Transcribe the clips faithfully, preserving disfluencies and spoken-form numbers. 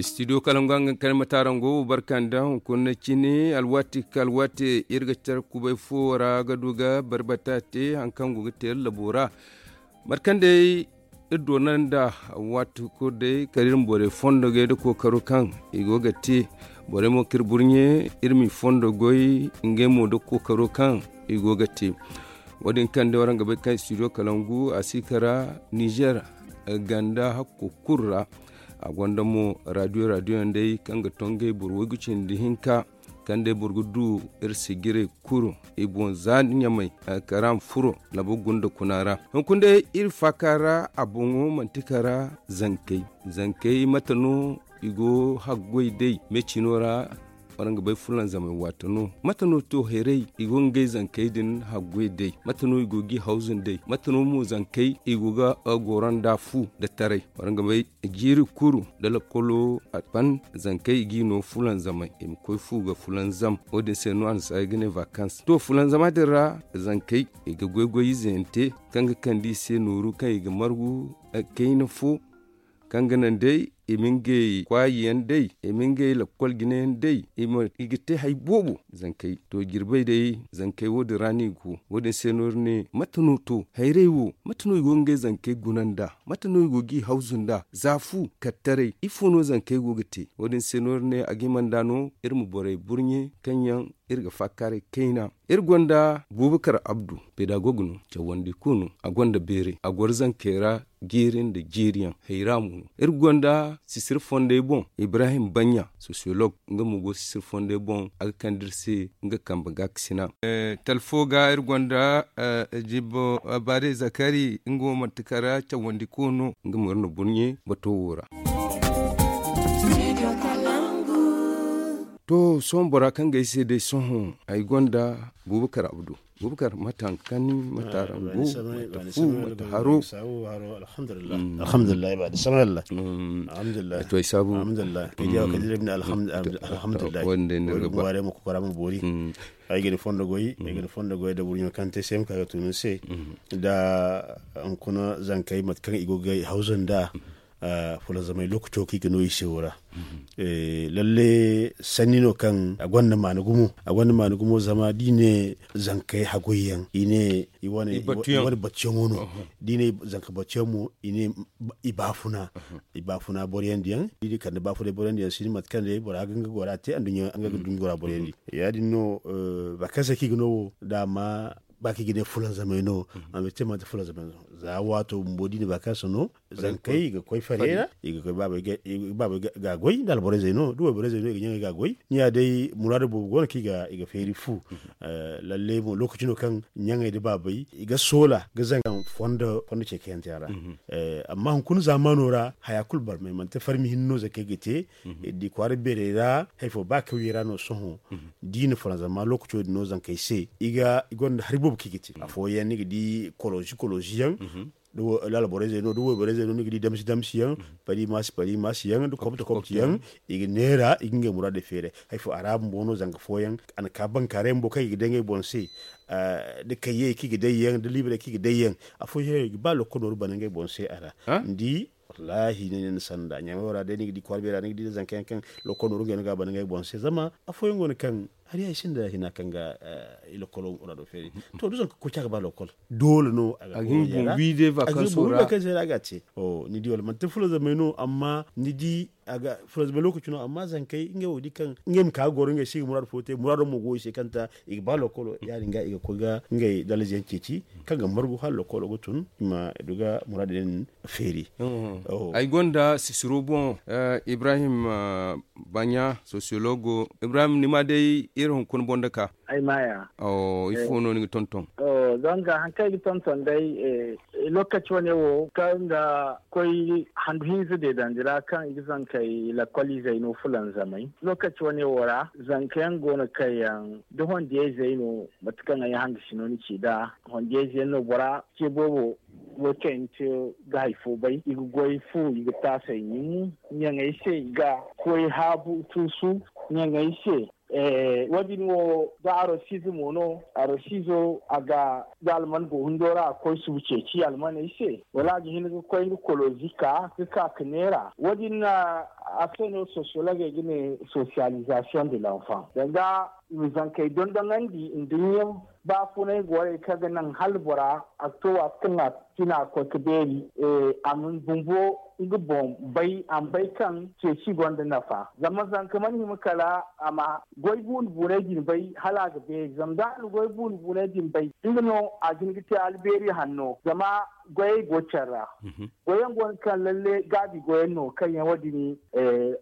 Studio kalangu a ga kar matarango barka nda hunkuna cine alwaati ka alwaati iri ga care kubay fo ra ga du ga barbata te hari kaŋ go ga te iri labo ra. Mate kaŋ day iri doona nda waati kulu day kala iri ma borey fondo goy nda kookaro kaŋ i go ga te. Borey mo kaŋ iri burɲe iri m'i fondo goy ngey mo nda kookaro kaŋ i go ga te. Wo- din kaŋ day waraŋ ga bay kaŋ studio kalangu a si kara nizer ganda hakko kulu ra. A gonda mo radio radio yaŋ day kaŋ ga to ngey boro waygu cindi hinka kaŋ day boro ga du iri sijirey kulu i boŋ za ɲamay kara ma furo labo gunda kuna ra. Hunkuna day iri faaka ra a boŋo manti kara zankey. Zankey mate no i go haggoy day me cino ra? Waraŋ ga bay fulanzamey waati no mate no to hayray i go ga ngey zankey din haggoy day mate no i go g'i hawzu nd'ey mate no mo zankey i go ga goro nda fu nda taray waraŋ ga bay jiiri kulu nda lakkolo a ban zankey i g'i no fulanzamey i ma koy fu ga fulanzam. Wo- din se no a na si ay ga ne vakans to fulanzama din ra zankey i ga goy-goy ize yaŋ te kaŋ ga kande i se nooru kaŋ i ga margu kayna fo kaŋ ga naŋ day i ma ngey kwaayi yaŋ day i ma ngey lakkol jine yaŋ day i ga te hari boobo zankey to jirbey day zankey wo- din ra no i go. Wo- din se no iri ne mate no to hayray wo mate no i go ga ngey zankey guna nd'a mate no i go g'i hawzu nd'a za fu kattaray ifo no zankey go ga te wo- din se no iri ne a ga hima nd'a no iri ma borey burɲe kaŋ yaŋ iri ga faakaaray kayna. Iri gonda buubakar abdu pedagog no cawandi kulu no a gonda beeray a goro zankey ra jiiri nda jiiriyaŋ hayra mo no. Iri gonda sisiri fondey boŋ ibrahim baɲɲa sosiyolog nga mo go sisiri fondey boŋ a ga kande iri se nga kambe gaakasina. Talfo ga iri gonda jibbo baade zakari nga wo manti kara cawandi kulu no nga mo iri na burɲe bato wo ra. To sohõ bora kaŋ ga ay se day sohõ ay gonda buubakar abdu buubakar mate hari kaŋ ni mate arangu mate fu mate haro. Alhamdulillahi ba da samay allah. Alhamdulillahi to ay sabu alhamdulillahi. Kay jawa kay dira bine alhamdulillahi. Wanda ne ga ba mo kokora mo bori. Ay gani fondo goy ay gani fondo goy da burɲo kaŋ te se ma ka ga tunu se da hunkuna zankey mate kaŋ i go ga hawzu nda fulanzamay lokaco kaŋ i ga no i se wo ra. Lalle sanni no kaŋ a gonda maana gumo a gonda maana gumo zama da i ne zankey haggoy yaŋ i ne i wane batuyaŋo no da i ne zanka batuyaŋ mo i ne i baafuna i baafuna boroyaŋ diyaŋ da i ne kande baafunay boroyaŋ diyaŋ si ne mate kaŋ day bora ga nga gora te anduɲɲa nga ga duɲɲa gora boroyaŋ di. Ya- din no ba kaŋ se kaŋ i ga no wo daama ba kaŋ i ga ne fulanzamay no. Amma i te manti fulanzamay no za waato bumbo da i ne ba kaŋ se no zankey i ga koy fare ra i ga koy baabey ga goy nda alborayzey no da wayborayzey no i ga ɲaŋey ga goy ni ya day muraadu boobo go no kaŋ i ga feeri fu. Lalle mo lookaci no kaŋ ɲaŋey nda baabey i ga soola ga zaŋ kaŋ fondo ce kayante a ra. Amma hunkuna zaamaano ra haya kulu barmay manti farmi hinne no zankey ga te. Di kwaara beerey ra hari fo ba kawyey ra no sohõ da i na faransa ma lookaco din no zankey se i gonda hari boobo kaŋ i ga te afooyaŋ ni ga di kolosi kolosi yaŋ da laala borey zey no da wayborey zey no ni ga di damsi damsi yaŋ pari maasi pari maasi yaŋ da kobti kobti yaŋ. I ga neera i ga ngey muraadey feeray hari fo a ra bumbo no zanka fooyaŋ a na ka bankaaray bumbo kaŋ i ga day ngey boŋ se da kayyey kaŋ i ga day yaŋ da liibarey kaŋ i ga day yaŋ. Afooyaŋ i ga ba lokko nooru bana ngey boŋ se a ra ni di wallaahi ni na ni sanda ɲamay wo ra day ni ga di kwaara beera ni ga di da zanka yaŋ kaŋ lokko nooru ngey no ga a bana ngey boŋ se zama afooyaŋ go no kaŋ hari yaŋ i sinda hina kaŋ ga i lokolo muraado feeri. To da zanka koy ca ga ba lokol doole no a ga hin bumbi day vakanso ra a ga te. Ni di wala manti fulanzamay no amma ni di a ga fulanzamay lookaci no amma zankey ngey wo di kaŋ ngey ma ka ga goro ngey se i ga muraadu fo te muraado mo go i se kaŋ ta i ga ba lokolo ya- din ga i ga koy ga ngey dalaza yaŋ ceeci kaŋ ga margu hala lokolo ga tun i ma du ga muraadu din feeri. Ay gonda sisiro boŋ ibrahim baɲa sosiyologo ibrahim ni ma day iri hunkuna boŋ da ka. Ay maya ifo no ni ga tonton? Zanga haŋ kaŋ ay ga tonton day lokaci wane wo kaŋ ga koy handu hinza deedandi ra kaŋ i ga zankey lakkoliizey no fulanzamay lokaci wane wo ra zanka yaŋ go no kaŋ yaŋ da hondiyayzey no mate kaŋ ay hangasi no ni ci nd'a hondiyayze yaŋ no bora ce boobo wo kaŋ yaŋ ni te ga hari fo bay i ga goy fu i ga taasay ɲimu ɲaŋey se i ga koy haabu tuusu ɲaŋey se. Wo- din wo da arosiize mo no. Arosiizo a ga da alman go hundo ra a koy subu ceeci almaney se, wala a ga hin ga koy nga kolozi ka ga ka ga neera. Wo- din a se no sosiyologey ga ne sosiyalizasiyoŋ de lanfan danga i ma zankey dondoŋandi nda ɲyaŋ. Ba funay gorey kaŋ ga naŋ hala bora a ga to waati kaŋ a tina a ga koy ga beeri, a ma bumbo nga boŋ bay a ma bay kaŋ ceeci gonda nafa. Zama zanka mana hima kala a ma goy buune buunay din bay hala a ga beeri zama da a na goy buune buunay din bay, nga no a ga hin ga te albeeri hanno zama goyey go care ra. Goyyaŋ go no kaŋ lalle gaabi goyyaŋ no kaŋ yaŋ wo- din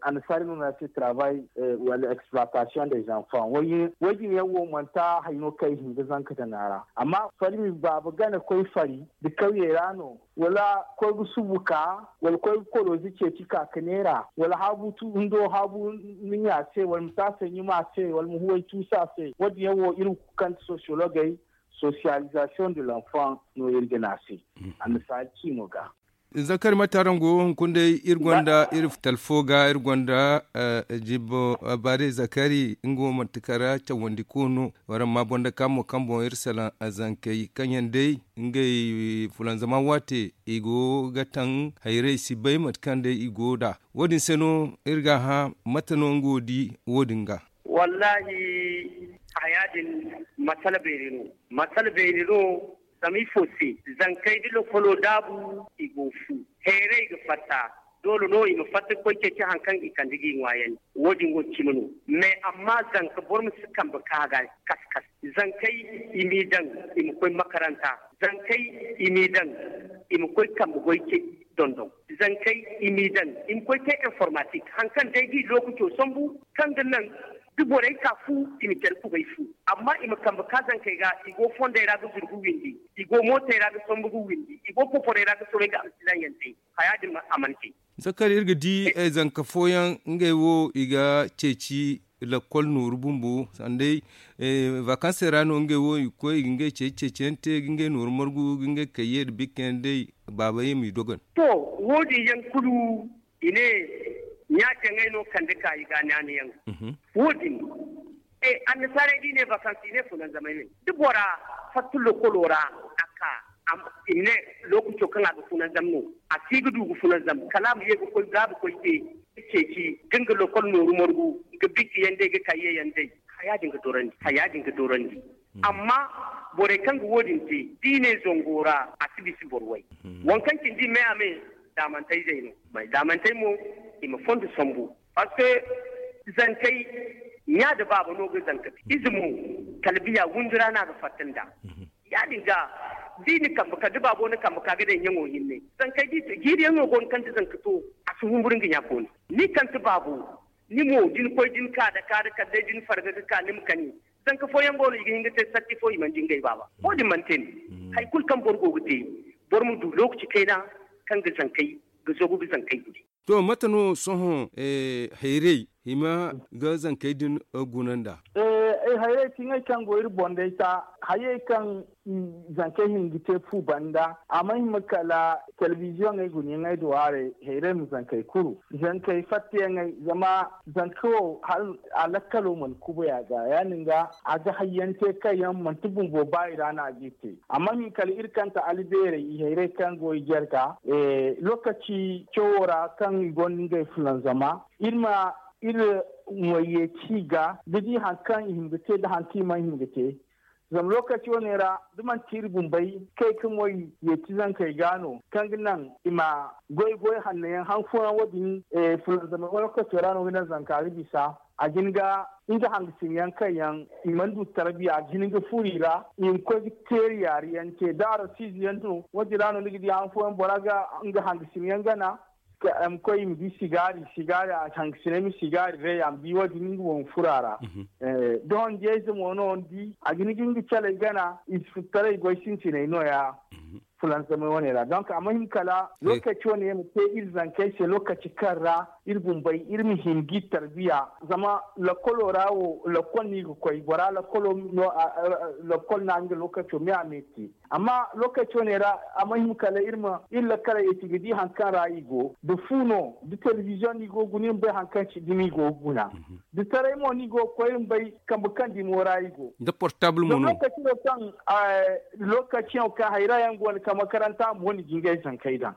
annasaari no no a se travail wala exploitation des enfants. Wo- din yaŋ wo manti hari no kaŋ i hin ga zanka daŋ a ra. Amma farmi baaba gana koy fari nda kawyey ra no, wala koy ga subu ka, wala koy ga kolozi ceeci ka ga neera, wala haabu hundo haabu ni ɲa se wala ma taasay ɲuma se wala ma huway tuusa se. Wo- din yaŋ wo iri ga kande sosiyologey sosiyalizasiyoŋ de lanfan no iri ga ne a se. Annasaari ciimo ga. Zakari mate araŋ go hunkuna day iri gonda iri talfo ga iri gonda jibbo bare zakari nga wo manti kara cawandi ko no. Waraŋ ma boŋ da ka mo kaŋ boŋ iri salaŋ zankey kaŋ yaŋ day ngey fulanzama waate i go ga taŋ hayrey si bay mate kaŋ day i go nd'a. Wo- din se no iri ga a hã mate no nga wo di wo- din ga. Wallahi haya din masala beeri no. Masala beeri no. Zama ifo se? Zankey da lokolo daabu i go fu. Heeray ga fatta. Doole no i ma fatta ga koy ceeci hari kaŋ i kande ga i ŋwaayandi. Wo- din wo cimi no. Mais amma zanka boro ma si kambe ka ga kas kas. Zankey i m'i daŋ i ma koy makaranta. Zankey i m'i daŋ i ma koy kambe goy ce dondon. Zankey i m'i daŋ i ma koy te informatik hari kaŋ day ga i lookaco sambu kaŋ ga naŋ da borey ka fu i ma care kubay fu. Amma i ma kambe ka zankey ga i go fondey ra ga zuru ga windi, i go mootey ra ga sambu ga windi, i go poporey ra ga soobay ga amsilaŋ yaŋ te. Haya din a mana te. Zakari iri ga di zanka fooyaŋ ngey wo i ga ceeci lakkol nooru bumbo sanday. Vakansey ra no ngey wo i ga koy i ga ngey ceeci ceeciyaŋ te ga ngey nooru margu ga ngey kayye nda bikka yaŋ day. Baaba ye m'i dogon. To, wo- din yaŋ kulu i ne ɲa-jaŋey no kande ka i ga naana yaŋ. Wo- din annasaarey da i ne vakansi i ne funanzamay me da bora fatta lokolo ra a ka i ma ne lookaco kaŋ a ga funanzam no. A si ga du ga funanzam kala a ma ye ga koy ga ga koy te ga ceeci ga nga lokol nooru margu ga bikka yaŋ day ga kayye yaŋ day. Haya din ga dorandi haya din ga dorandi. Amma borey kaŋ ga wo- din te da i ne zango ra a si bisa boro way. Waŋ kaŋ cindi me a me daamantayzey no. Daamantey mo i ma fondo sambu. Parce que zankey ɲa nda baaba no ga zanka te ize mo kala biya windi ra no a ga fatta nd'a. Ya- din ga da i na kambe ka da baabo na kambe ka ga day ɲaŋo hinne. Zankey da i te jiiri yaŋ no go no kaŋ da zanka to a si humburu nga ɲa kooni. Ni kante baabo ni mo da ni koy da ni ka da ka da kala day da ni farga ga ka ni ma kani. Zanka fooyaŋ go no i ga hin ga te satti fo i mana di ngey baaba. Wo- din mana te ni hari kulu kaŋ boro go ga te boro ma du lookaci kayna kaŋ ga zankey ga zagu ga zankey gune. To mate no sohõ hayrey hima ga zankey din guna nd'a? Ay hayrey ti ngey kaŋ go iri boŋ day ta hayey kaŋ zankey hin ga te fu banda a ma hima kala telebiziyoŋey guna yaŋey do haray. Hayrey ma zankey kuru zankey fattayaŋey zama zanka wo a lakkalo mana kubay a ga ya- din ga a ga hayyaŋ te kaŋ yaŋ manti bumbo ba i ra no a g'i te. A ma hin kala iri kante albeerey i hayrey kaŋ go i jarga lookaci cawo ra kaŋ i gonda ngey fulanzama iri ma iri ŋwayye ci ga ga di hari kaŋ i hin ga te nda hari kaŋ i mana hin ga te. Zama lookaci wane ra da manti iri bumbey kay ga moy yeeti zankey ga no kaŋ ga naŋ i ma goy goy hanno yaŋ hari fooyaŋ wo- din fulanzamay wala koy to ra no ga naŋ zanka ga bisa a ga hin ga nga hangasin yaŋ kaŋ yaŋ i mana du tarbiya a ga hin ga furo i ra i ma koy ga teeri yaari yaŋ te da a rasiize yaŋ no wo- din ra no ni ga di hari fooyaŋ bora ga nga hangasin yaŋ gana. Ka a ma koy i ma di sigaari sigaari a hangasinay ma sigaari day a ma di wo- din nga boŋ ma furo a ra. Dohonjey ize mo no ni di a ga hin ga nga caley gana i si furo taray goy sintinay no- ya. fulanzamay wane ra. Donc a ma hima kala lokaci wane ma te iri zankey se, lokaci kaŋ ra iri bumbey iri ma hima ga iri tarbiya. Zama lakkolo ra wo, lakkol no i ga koy bora lakkolo no. Lakkol no a ga nga lokaco me a me te. Amma lokaci wane ra a ma hima kala iri ma iri lakkaley eti ga di hari kaŋ ra i go, da fu no, da telebiziyoŋ no i go ga guna iri ma bay hari kaŋ ci dumi i go ga guna. Da taray mo no i go ga koy iri ma bay kambe kaŋ dimo ra i go. Da portable mo no. Lokaci no kaŋ lokaci yaŋ kaŋ hayra yaŋ go no kaŋ makaranta mo ni ga ngey zankey daŋ.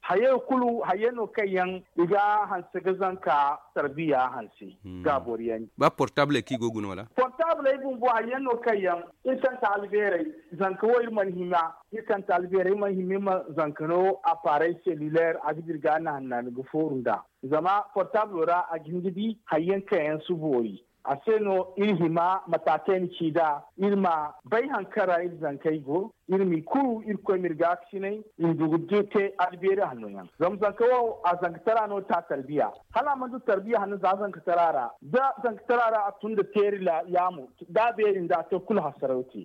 Hayey kulu hayey no kaŋ yaŋ i ga hanse ga zanka tarbiya hanse. Ga boro yaŋ ba portable kaŋ i go ga guna wala portable ay bumbo hayey no kaŋ yaŋ iri kaŋ ta albeerey, zanka wo iri mana hima iri kaŋ ta albeerey iri mana hima iri ma zanka no aparey selulaire a ga dira ga a na hanna ni ga fooru nd'a. Zama portable ra a ga hin ga di hayey kaŋ yaŋ si boori. A se no iri hima mataakey ma ci nd'a iri ma bay hari kaŋ ra iri zankey go. Iri m'i kuru iri koy ma iri gaakasinay iri ma du ga te albeeri hanno yaŋ. Zama zanka wo a zankatara no ta tarbiya. Hala a mana du tarbiya hanno za zankatara ra da zankatara ra a tun nda teeri yaamo da a beeri nda a to kulu hasaraw te.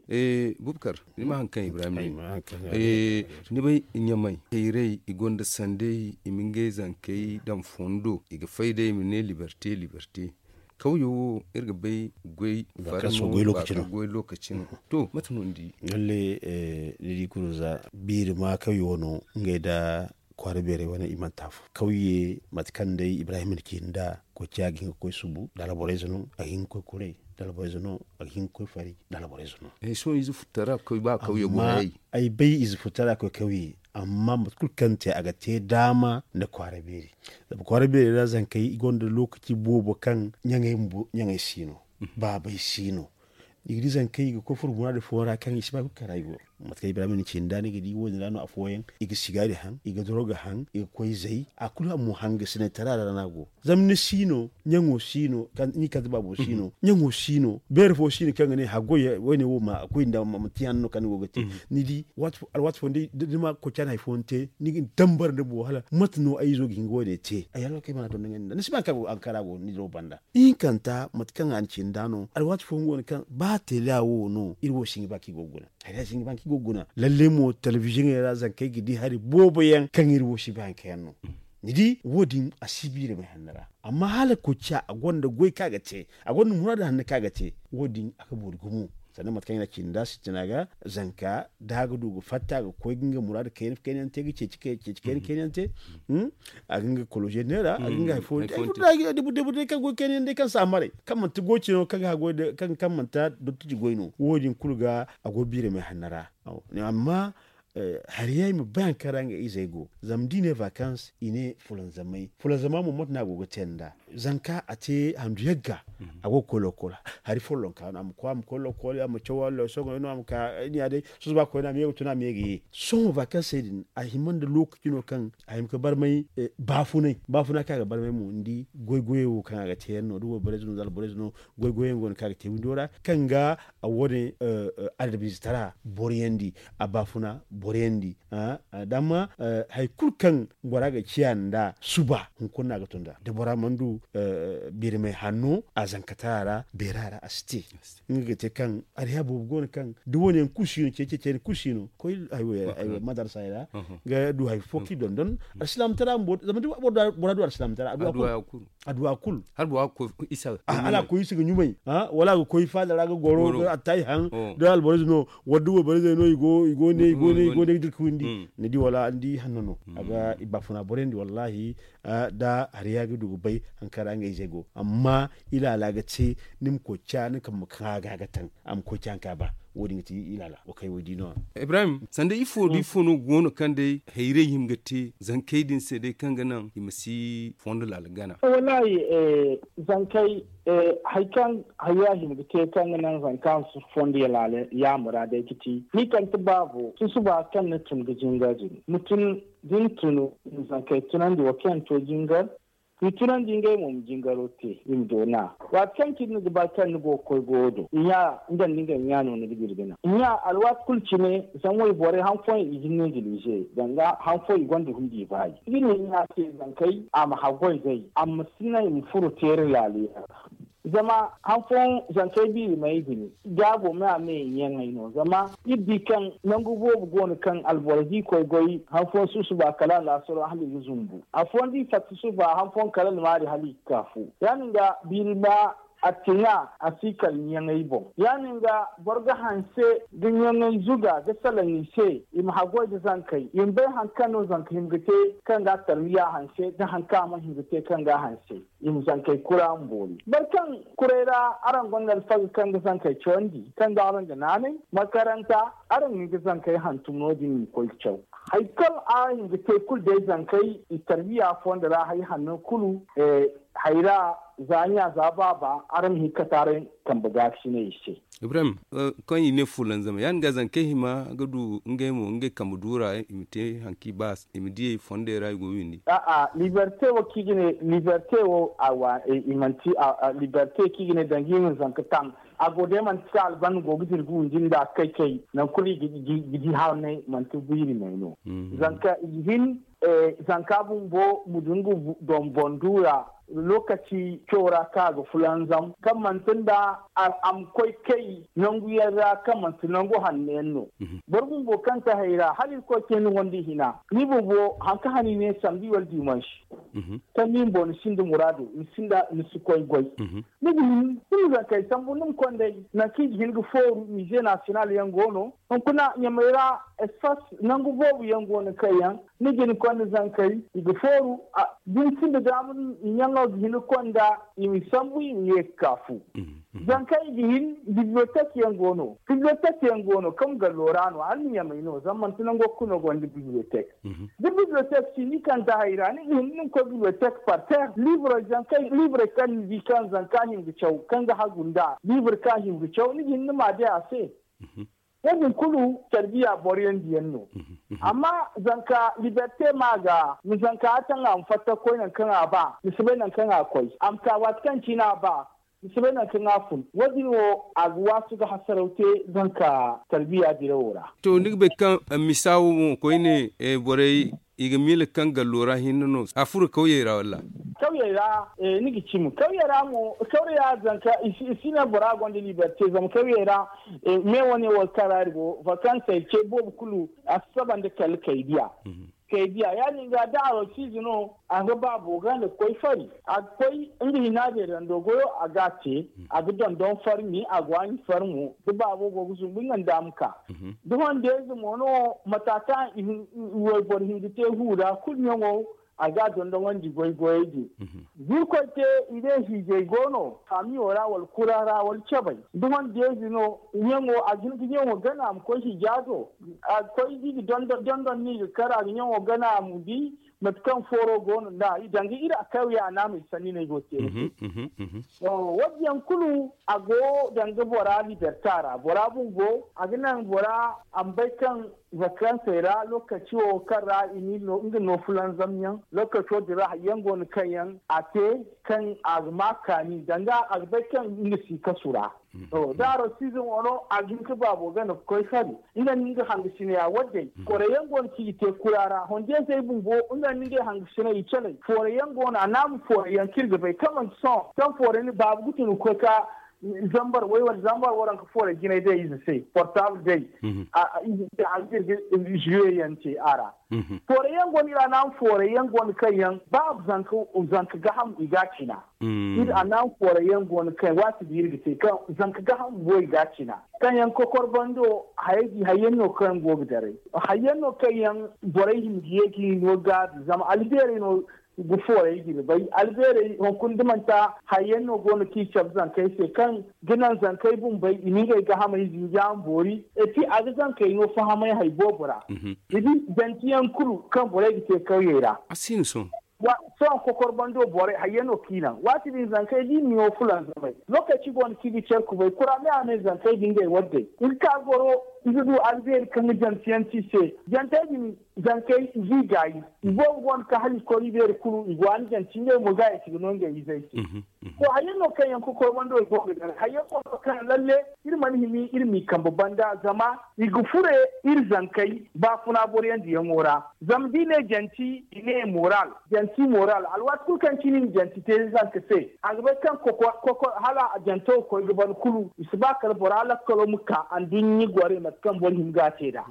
Bubakar, ni ma hari kaŋ ibrahim ne. Ni bay ɲamay hayray i gonda sanday i ma ngey zankey daŋ fondo i ga fay day i ma ne liberte liberte. Kawyo wo iri ga bay goy farmo goy lokaci no. To mate no ni di? Lalle, ni di kulu za biiri ma kawyo no ngey nda kwaara beerey wane i mana te afo kawye mate kaŋ day ibrahim na ci nda koy ciya ga hin ga koy subu da alborey ze no a ga hin ga koy kuray da alborey ze no a ga hin ga koy fari da alborey ze no. Sohõ ize futtara koy ba kawye go hayey. Ay bay ize futtara koy kawye amma mate kulu kaŋ te a ga te daama nda kwaara beeri. Zama kwaara beeri ra zankey i gonda lokaci boobo kaŋ ɲaŋey si no baabey si no. Ni ga di zankey i ga koy furo muraadu fooyaŋ ra kaŋ i si ba kulu kara i go. Mate kaŋ ibrahim ni ci nda ni ga di wo- din ra no afooyaŋ i ga sigaari haŋ i ga doroga haŋ i ga koy zay a kulu a mo haŋ ga sinay tara ra no a go. Zama ni si no ɲaŋo si no ni kante baabo si no ɲaŋo si no beere fo si no kaŋ ga ne haggoy wo- ne wo ma koy nda ma ti hanno kaŋ ni go ga te. Ni di alwaati fooyaŋ da ni ma koy caani hari fooyaŋ te ni ga ni tambar nda boro hala mate no ay izo ga hin ga wo- ne te ay hala kay mana donda ɲaŋ ni nda ni si ba kaŋ a ga kara go ni diraw banda. Ihinkanta mate kaŋ a na ci nda no alwaati fooyaŋ go no kaŋ ba teela wo no iri wo si hin ga ba kaŋ i go ga guna. Hari ya si hin ga ba kaŋ i go ga guna lalle mo telebiziyoŋey ra zankey ga di hari boobo yaŋ kaŋ iri wo si ba haŋ kaŋ yaŋ no. Ni di wo- din a si biiri may hanno ra. Amma hala koy ciya a gonda goy kaŋ a ga te a gonda muraadu hanno kaŋ a ga te. Wo- din a ga boori gumo sanda mate kaŋ i na ci nda sintina ga zanka da a ga du ga fatta ga koy ga nga muraadu kayna kayna yaŋ te ga ceeci kayna kayna yaŋ te. A ga nga koloze neera a ga nga hari fo day kaŋ goy kayna yaŋ day kaŋ si a maray kaŋ manti goy cino kaŋ ga goy kaŋ manti dottiji goy no wo- din kulu ga a go biiri may hanno ra. Amma hari yaŋ i ma bay hari kaŋ ra nga izey go zama da i ne vakans i ne fulanzamay fulanzama mo mate no a go ga te nda zanka a te handu yagga. A go ga koy lokol hari follonka no a ma koy a ma koy lokol a ma caw alloy sohõ no a ma ka ni ya day sohõ ba koy no a ma ye ga tun a ma ye ga ye. Sohõ vakansey din a hima nda lokaci no kaŋ a hima ga barmay baafunay baafuna kaŋ a ga barmay mo ni di goy goyey wo kaŋ a ga te yaŋ no da wayborey ze no da alborey ze no. Goy goyey yaŋ go no kaŋ a ga te windo ra kaŋ ga a wo- ne adabizitara boroyandi a baafuna boroyandi. Damma hari kulu kaŋ bora ga ciya nda suba hunkuna no a ga tun da da bora mana du biirmay hanno a zankatara ra beera ra a si te. Nga ga te kaŋ ariya boobo go no kaŋ da wo- ne yaŋ kulu si no ceeci ceeci yaŋ kulu si no koy madarasey ra ga du hari fo kaŋ i dondon alsilaamtara bumbo zama da bora du alsilaamtara a du a kulu. Hala a koy isa ga ɲumay wala a ga koy faada ra ga goro ga attaahi haŋ da alborey ze no wala da wayborey ze no i go ne i go ne i go ne ga dirka windi ni di wala ni di hanno no a ga i baafuna borey ndi wallaahi. Da hari ya ga du ga bay hari kaŋ ra ngey ze go amma ilaala ga te ni ma koy ca ni kambe kaŋ a ga a ga taŋ a ma koy ca ni ka ba. Wo- din ga ti ilaala wa kay wo- di no. Ibrahim sanda ifo da ifo no go no kaŋ day hayrey hima ga te zankey din se day kaŋ ga naŋ i ma si fondo laala gana? Wallaahi zankey hari kaŋ hari ya hima ga te kaŋ ga naŋ zanka ma si fondo laala yaamura day ga ti ni kante baabo susuba kaŋ ni tun ga jingar din ma tun da ni tun ma zankey tunandi wo kaŋ yaŋ to jingar. I tunandi ngey mo ma jingaro te i ma doona. Waati kaŋ cine ni ga ba kaŋ ni go ga koy goyo do i ɲa nga nda ngey ɲa no ni ga dira ga naŋ i ɲa alwaati kulu cine. Zama wayborey han fooyaŋ i ga hin no i ga liize danga han fooyaŋ i gonda hundi i baayi i ga ne i ɲa se zankey a ma haggoy day a ma si naŋ i ma furo teeri laaliyaŋ ra. Zama hanfoyaŋ zankey biiri ma ay bine gaabo me a me i ɲaŋey no zama iri di kaŋ nangu boobo go no kaŋ alboro di koy goy hanfoyaŋ susuba kala a laasaro hala i ga zumbu afooyaŋ da i fatta susuba hanfoyaŋ kala almaari hala i ga ka fu. Ya- din ga biiri ma a tiŋa a si kala ɲaŋey boŋ. Ya- din ga boro ga hanse ga ɲaŋey zuga ga salaŋ i se i ma haggoy nda zankey i ma bay hari kaŋ no zanka hima ga te kaŋ ga a tarbiya hanse nda hari kaŋ a mana hima ga te kaŋ ga a hanse. I ma zankey kura ma boori boro kaŋ kuray ra araŋ gonda alfaga kaŋ ga zankey cawandi kaŋ ga araŋ ga naanay makaranta araŋ ga hin ga zankey hantum no- din i ma koy ga caw. Hari kaŋ araŋ ga hin ga te kulu day zankey i tarbiya fonda ra hari hanno kulu. Hari ra za ɲa za baaba araŋ ma hin ga kate araŋ kambe gaakasinay i se. Ibrahim, kaŋ i ne fulanzam ya- din ga zankey hima ga du ngey mo ngey kambe duura i ma te hari kaŋ i ba i ma diyey fondey ra i go windi. A'a liberte wo kaŋ i ga ne liberte wo i manti liberte kaŋ i ga ne danga i ma zanka taŋ. A go day manti kaŋ albanda go ga dira ga windi nda kay kay nangu kulu i ga di haanay manti biiri may no. Zanka i ga hin zanka bumbo ma du nga donbon duura lokaci caw ra kaŋ a ga fulanzam kaŋ manti nda a ma koy kay nangu yaŋ ra kaŋ manti nangu hanno yaŋ no. Boro bumbo kaŋ ga hay ra hala irkoy te ni wandi hina ni bumbo hari kaŋ hane i ne sambi wala dimansi kaŋ ni bumbo ni sinda muraado ni sinda ni si koy goy. Ni ga hin ni ma zankey sambu ni ma konday nangu kaŋ i ga hin ga fooru mize national yaŋ go no hunkuna ɲamey ra espas nangu boobo yaŋ go no kaŋ yaŋ ni ga hin konda zankey i ga fooru da ni sinda daama ɲaŋo ga hin ga konda i ma sambu i ma ye ga ka fu. Zankey i ga hin bibliotek yaŋ go no bibliotek yaŋ go no kaŋ gallo ra no hala ni ɲamey no zama manti nango kulu no gonda bibliotek. Da bibliotek si ni kande hay ra ni ga hin ni ma koy bibliotek par ter liibrey zankey liibrey kaŋ ni di kaŋ zanka hima ga caw kaŋ ga hagu nd'a liibri kaŋ a hima ga caw ni ga hin ni ma day a se. Wo- din kulu tarbiya boro yaŋ diyaŋ no. Amma zanka liberte ma ga ma zanka a taŋ a ma fatta ga koy nangu kaŋ a ba ni si bay nangu kaŋ a koy a ma ka waati kaŋ cine a ba ni si bay nangu kaŋ a fun wo- din wo a ga waasu ga hasaraw te zanka tarbiya dirawo ra. To ni ga bay kaŋ misa wo mo koyne borey i ga miila kaŋ gallo ra hinne no a furo kawyey ra walla? Kawyey ra ni ga cimi kawyey ra mo kawya zanka i si ne bora gonda liberte zama kawyey ra me wane wo kaŋ ra iri go vakansey ce boobo kulu a si saba nda kala kay diya. Kay diya ya- din ga da a rokiize no a ga baabo ga nda ga koy fari a ga koy nga hina beerando goyo a ga a te a ga dondon farmi a ga waani farmo da baabo go ga zumbu nga nda a ma ka. Da hondeeze mo no mata kaŋ wayboro hinga te huura kulu ɲaŋo a ga a dondonandi goy goyey din. Da irkoy te i ne hiijay go no faamiyo ra wala kura ra wala cabay da hondeeze no ɲaŋo a ga hin ga ɲaŋo gana a ma koy hiija do a ga koy i ga dondon no i ga kar a ga ɲaŋo gana a ma di mate kaŋ fooro go no nd'a i danga iri a kawya naamey sanni no ay go ga te ni se. Wo- din yaŋ kulu a go danga bora liberta ra bora bumbo a ga naŋ bora a ma bay kaŋ vakansey ra lokaci wo kaŋ ra i na nga no fulanzam yaŋ lokaco din ra hari yaŋ go no kaŋ yaŋ a te kaŋ a ga ma kaani danga a ga bay kaŋ nga si kasu ra. Da a rokiize mo no a ga hin ga baabo gana ga koy fari nga nda nga hangasinaya wo- din forey yaŋ go no kaŋ i ga te kura ra hondiyaŋ se ay bumbo nga nda ngey hangasinay i calay forey yaŋ go no a naama forey yaŋ kaŋ iri ga bay kaŋ manti sohõ kaŋ forey ni baabu ga tun ga koy ka zambar way wala zambar waranka forey jinay day ize se portable day ize se a ga iri ga jouer yaŋ te a ra. Forey yaŋ go no iri a naama forey yaŋ go no kaŋ yaŋ ba zanka gaham i ga a cina. Iri a naŋ forey yaŋ go no kaŋ waati din iri ga te kaŋ zanka gaham bumbo i ga a cina kaŋ yaŋ kokor bando hayey din hari yaŋ no kaŋ yaŋ go ga daray hari yaŋ no kaŋ yaŋ borey hima ga ye ga i no gaabi zama albeerey no ga forey ga iri bay albeerey hunkuna da manti hari yaŋ no go no kaŋ i cabe zankey se kaŋ ga naŋ zankey bumbey i ma ngey gahamey zinja ma boori. Et puis a ga zankey no fahamay hari boobo ra. Ni di danti yaŋ kulu kaŋ borey ga te kawyey ra. Sohõ kokor bando borey hayey no kaŋ i naŋ waati din zankey da i ma ɲo fulanzamay lokaci go no kaŋ i ga care kubay kura me a me zankey da ngey waddey i ga ka goro. I ga du albeeri kaŋ ga janti yaŋ te i se. Jantey din, zankey i ga i gaayi. I boobo go no kaŋ hala i koy i beeri kulu i go a ni janti ngey mo ga i si ga no ngey izey se. To hayey no kaŋ yaŋ kokoy wando i go ga daray hayey go no kaŋ lalle iri mana hima iri m'i kambe banda zama i ga fure iri zankey baafuna boroyaŋ diyaŋo ra. Zama da i ne janti i ne moral. Janti moral alwaati kulu kaŋ cine i na janti te zanka se a ga bay kaŋ kokoy hala a janto ga koy ga ban kulu i si ba kala bora lakkalo ma ka anduɲɲi gorey mate kaŋ boro hima ga a te nd'a.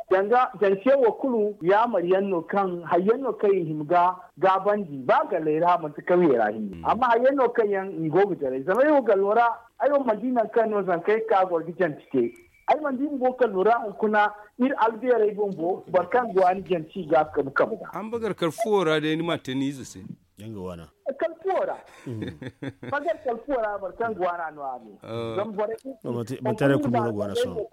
Danga jantiyaŋ wo kulu yaamar yaŋ no kaŋ hayyaŋ no kaŋ i hima ga gaabandi ba galley ra manti kawyey ra hinne amma hayyaŋ no kaŋ yaŋ i go ga jaray zama ay wo gallo ra. Ay wo mana di nangu kaŋ no zankey ga ka goro ga janti te. Ay mana di bumbo kallo ra hunkuna iri albeerey bumbo boro kaŋ ga waani janti i ga a kabu kabu ga. Ambagar kala fuwo ra day ni ma te ni ize se. Kala fuwo ra. Ambagar kala fuwo ra boro kaŋ ga waana no a ne. Zama borey kulu. Manti haray kulu mo no ga waana sohõ.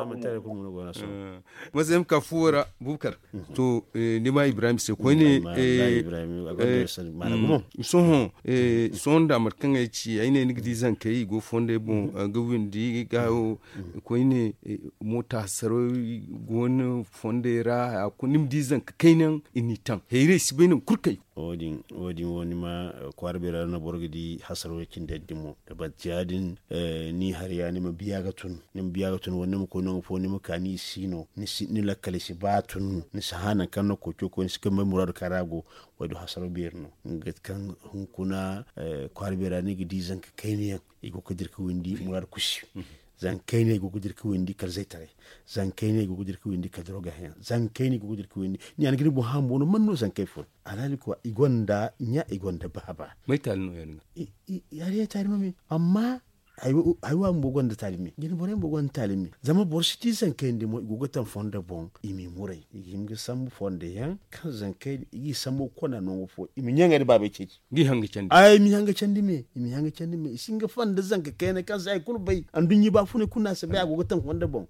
Manti haray kulu mo no ga waana sohõ. Masayam ka fuwo ra bukar. To ni ma ibrahim se koyne. Sohõ sohõ nda mate kaŋ ay ci ay ne ni ga di zankey i go fondey boŋ ga windi ga koyne. Moota hasaroy go no fondey ra a kulu ni ma di zanka kaynaŋ i n'i taŋ hayray si bay nangu kulu kay. Wo- din wo ni ma kwaara beera no boro ga di hasaro cindi yadda mo da batti ya- din. Ni hari ya ni ma biya ga tun ni ma biya ga tun wala ni ma koy nangu fo ni ma ka ni si no ni lakkale si ba tun ni si hã nangu kaŋ no koy coy koy ni si kambay muraadu kaŋ ra go. Wo- din hasaro beeri no nga kaŋ hunkuna kwaara beera ni ga di zanka kayna yaŋ i go ga dira ga windi muraadu kusi. Zanka kayna i go ga dira ga windi kala zaytaray. Zanka kayna i go ga dira ga windi kala doroga hayaŋ zanka kayna i go ga dira ga windi ni ya ni ga ni boŋ hã bumbo no man no zanka kay fo. Alhaali koy i gonda ɲa i gonda baaba. May taali no ya- din ga? Hari ya taali ma me amma haywa bumbo gonda taali me jina borey bumbo gonda taali me. Zama boro si di zanka kayna di mo i go ga taŋ fondo boŋ i m'i muray i ga hima ga sambu fondo yaŋ kaŋ zanka kayna i g'i sambu ga konda nangu fo i ma ɲaŋey nda baabey ceeci. Ay ma hanga candi me i ma hanga candi me i si nga fanda zanka kayna kaŋ si hari kulu bay anduɲɲi baafunay kulu no a si bay a go ga taŋ fondo boŋ.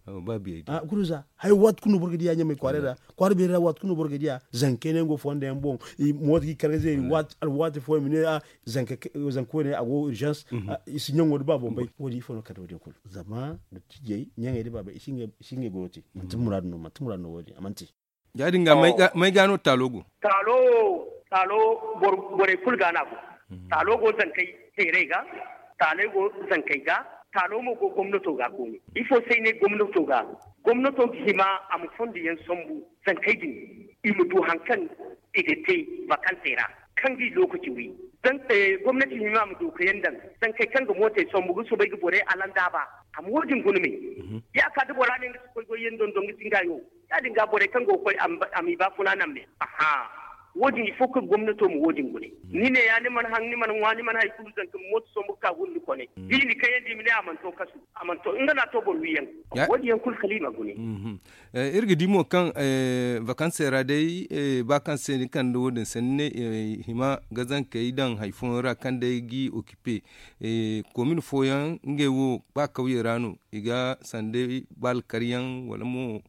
Kulu za hari waati kulu no boro ga diya ɲamay kwaaray ra. Kwaara beeri ra waati kulu no boro ga diya zanka kayna yaŋ go fondo yaŋ boŋ. Mooto ga i kar ga zeeri alwaati fooyaŋ ma ne zanka koyne a go urgence. I si ɲaŋo nda baabo bay wo- din ifo no kala wo- din kulu zama dottijey ɲaŋey nda baabey i si ngey goyo te. Manti muraadu no manti muraadu no wo- din a mana te. Ya- din ga may ga no taalo go? Taalo wo taalo borey kulu ga no a go. Taalo go zankey teeray ga. Taaley go zankey ga. Taalo mo go gomnato ga kooni ifo se ay ne gomnato ga. Gomnato ga hima a ma fondo yaŋ sambu zankey din i ma du hari kaŋ i ga te bakansey ra kaŋ ga i lookaci wi. Gomnati hima a ma dookayaŋ daŋ zankey kaŋ ga mootey sambu ga soobay ga borey alandaaba. A ma wo- din guna me. Ya- ka da bora ne nga si koy goy yaŋ dondon ga singa yo. Ya- din ga borey kaŋ go ga koy a m'i ba funa naŋ me. Aha. Wo- din il faut que gomnato ma wo- din gune. Ni ne ya ni mana haŋ ni mana ŋwa ni mana hari kulu zanka ma mooto sombu ga ka guna ni kone. Da i na kayandi i ma ne a mana to kasu a mana to nga no a to boro wiyaŋ. Wo- din yaŋ kulu kala i ma gune. Iri ga di mo kaŋ vakansey ra day ba kaŋ se ni kande wo- din sanni ne i hima ga zankey daŋ hari fooyaŋ ra kaŋ day ga i okipe. Komin fooyaŋ ngey wo ba kawyey ra no i ga sanday ba alkaryaŋ wala mo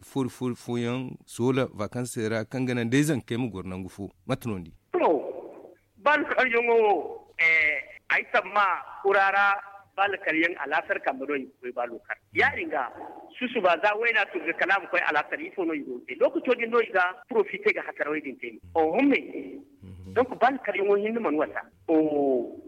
fori fori fooyaŋ soola vakansey ra kaŋ ga naŋ day zankey ma goro nangu fo. Mate no ni di? Ba alkaryaŋo wo ay samma kura ra. Ba alkaryaŋ alaasar kambe no i ga koy ba lookar ya- din ga susuba za wayna tun ga kala a ma koy alaasar ifo no i go ga te lookaco din no i ga porofite ga hasarawey din te. Oho me. Donc ba alkaryaŋo hinne mana wasa.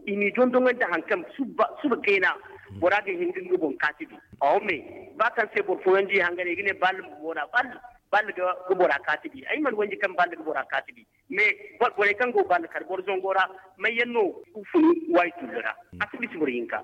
I n'i dondoŋandi hari kaŋ suba kayna bora ga hin ga nga boŋ kaati bi. Oho me. Ba kaŋ se boro fooyaŋ di hanganey ga ne bal ma moona bal ga bora kaati bi ay mana wanji kaŋ bal ga bora kaati bi. Mais borey kaŋ go bal kar boro zango ra mayyaŋ no ga funu waayi tullu ra? A si bisa boro hinka.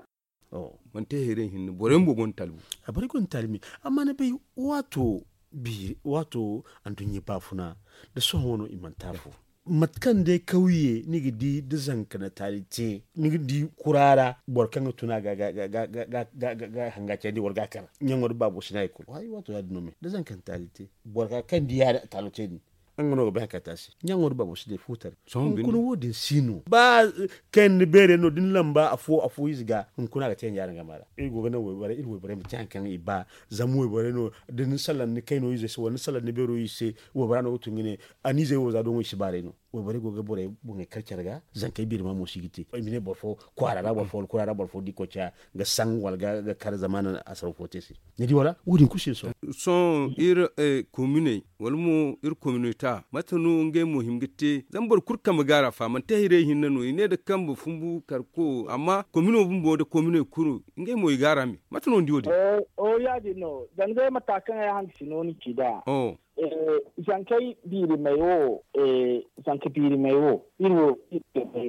Manti hayray hinne borey bumbo gonda talbu. Borey gonda talbu me amma ni bay waato biiri waato anduɲɲa baafuna nda sohõ no i manti afo. Mate kaŋ day kawye ni ga di da zanka na taali te ni ga di kura ra boro kaŋ ga tun a ga ga hanga candi wala ga a kar ɲaŋo nda baabo si ne hari kulu waato ya- din no me da zanka na taali te boro kaŋ di yaadin a taalo te din. Nga no ga bay hari kaŋ a te a se ɲaŋo nda baabo si ne fuutar. Hunkuna wo- din si no ba kaŋ ni beerey no da ni lamba afo afo ize ga hunkuna a ga te yaŋ yaadin game ra. Iri go ga naŋ wayborey iri wayborey ma te hari kaŋ i ba. Zama wayborey no da ni salaŋ ni kayno ize se wala ni salaŋ ni beero ize se waybora no ga tun ga ne a na izey wo za doŋo i si baaray no. borey go ga borey boŋey kar care ga. Zankey biirima mo si ga te i ma ne boro fo kwaara ra boro fo wala kura ra boro fo da i koy caya ga saŋ wala ga kar zama a na asaro fo te se. Ni di wala wo- din kulu si sohõ. Sohõ iri kominey wala mo iri kominota mate no ngey mo hin ga te zama boro kulu kambe ga a ra fa manti hayray hinne no i ne nda kambe fumbu karko amma komino bumbo nda kominey kulu ngey mo i ga a ra me mate no ni di wo- din. Oho ya- din no danga day mata kaŋ ay hangasino ni ci nd'a. Zankey biirimey wo zanka biirimey wo iri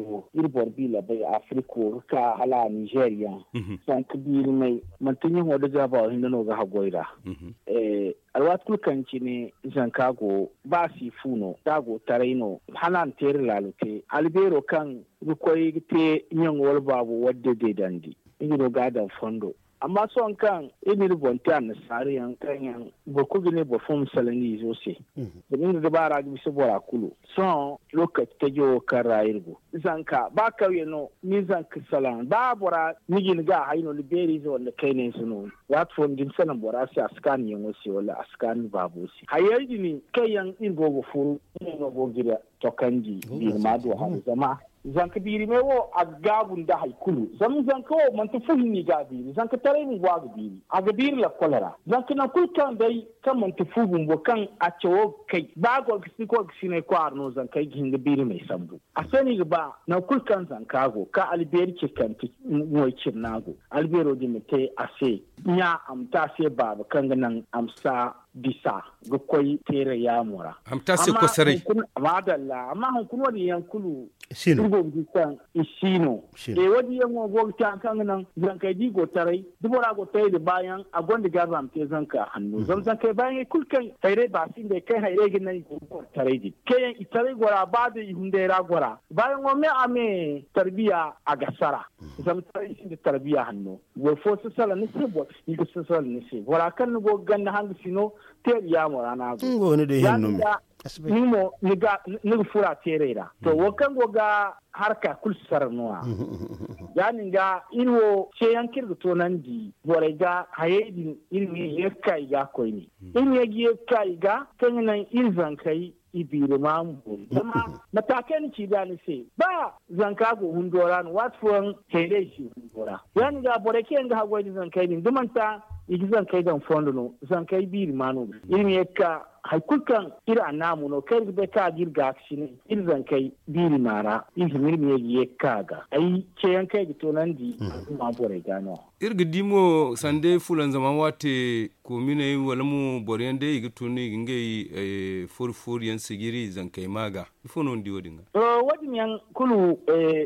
wo iri boro biila bay afirika wo ga ka hala a nizeer yaŋ. Zanka biirimey manti ɲaŋo nda gaaba wo hinne no ga haggoy ra. Alwaati kulu kaŋ cine zanka go ba a si fu no da a go taray no hala a na teeri laalo te albeero kaŋ ga koy ga te ɲaŋo wala baabo wadde deedandi nga no ga a daŋ fondo. Amma sohõ kaŋ iri n'iri boŋ te annasaara yaŋ kaŋ yaŋ boro kulu ga ne boro fo ma salaŋ nga izo se. Zama nga ga ba ra ga bisa bora kulu sohõ lokaci tajo wo kaŋ ra iri go zanka ba kawye no ni zanka salaŋ ba bora ni ga ni ga a hay no ni beeri ize wala ni kayna ize no. Waati fo ni ga ni salaŋ bora se a si kaanu yaŋo se wala a si kaanu ni baabo se hayey din kaŋ yaŋ iri go ga furu iri no go ga iri tokandi biiri ma du hari zama zanka biiri me wo a ga gaabu nda hari kulu zama zanka wo manti fu hinne i ga a biiri zanka taray bumbo a ga biiri a ga biiri lakkol ra. Zanka nangu kulu kaŋ day kaŋ manti fu bumbo kaŋ a cawo ga kay ba gorgasi gorgasiney kwaara no zankey ga hin ga biirimey sambu. A se no i ga ba nangu kulu kaŋ zanka go ka albeeri ce kaŋ ti moy cine no a go albeero din ma te a se ɲa a ma te a se baaba kaŋ ga naŋ a ma sa bisa ga koy teeray yaamo ra. A ma te a se kosaray. Maadalla amma hunkuna wo- din yaŋ kulu iri go ga di kaŋ i si no. Wo- din yaŋ wo go ga te hari kaŋ ga naŋ zankey da i go taray da bora go taray nda baayaŋ a gonda gaabi a ma te zanka hanno zama zankey baayaŋey kulu kaŋ hayray ba sinday kaŋ hayray ga naŋ i go ga boro taray din kaŋ yaŋ i taray gora ba da i hunday ra gora baayaŋo me a me tarbiya a ga sara. Zama taray sinda tarbiya hanno boro fo si salaŋ ni se boro i ga si salaŋ ni se bora kaŋ ni go ga ganda hanga sino teeri yaamo ra no a go. Ni mo ni ga fura teeray ra to wo kaŋ go ga harka kulu si sara no- ya ya- din ga iri wo ceeyaŋ kaŋ iri ga toonandi borey ga hayey din iri ma ye ga ka i ga koyne iri ma ye ga ye ga ka i ga kaŋ ga naŋ iri zankey i biiri ma ma boori zama mata kaŋ ni ci da ni se ba zanka go hundo ra no waati fooyaŋ hayray si hundo ra ya- din ga borey kaŋ yaŋ ga haggoy nda zankey din da manti i ga zankey daŋ fondo no zankey biiri ma no ga iri ma ye ga ka hari kulu kaŋ iri annaamo no kaŋ iri ga bay kaŋ a ga iri gaakasinay iri zankey biiri ma ra iri hima iri ma ye ga ye ga ka a ga ay ceeyaŋ kaŋ ay ga toonandi al'umma borey ga no- ya. Iri ga di mo sanda fulanzama waate koominey wala mo boro yaŋ day i ga tun i ga ngey foori foori yaŋ sijiri zankey ma ga ifo no ni di wo- din ga? To wo- din yaŋ kulu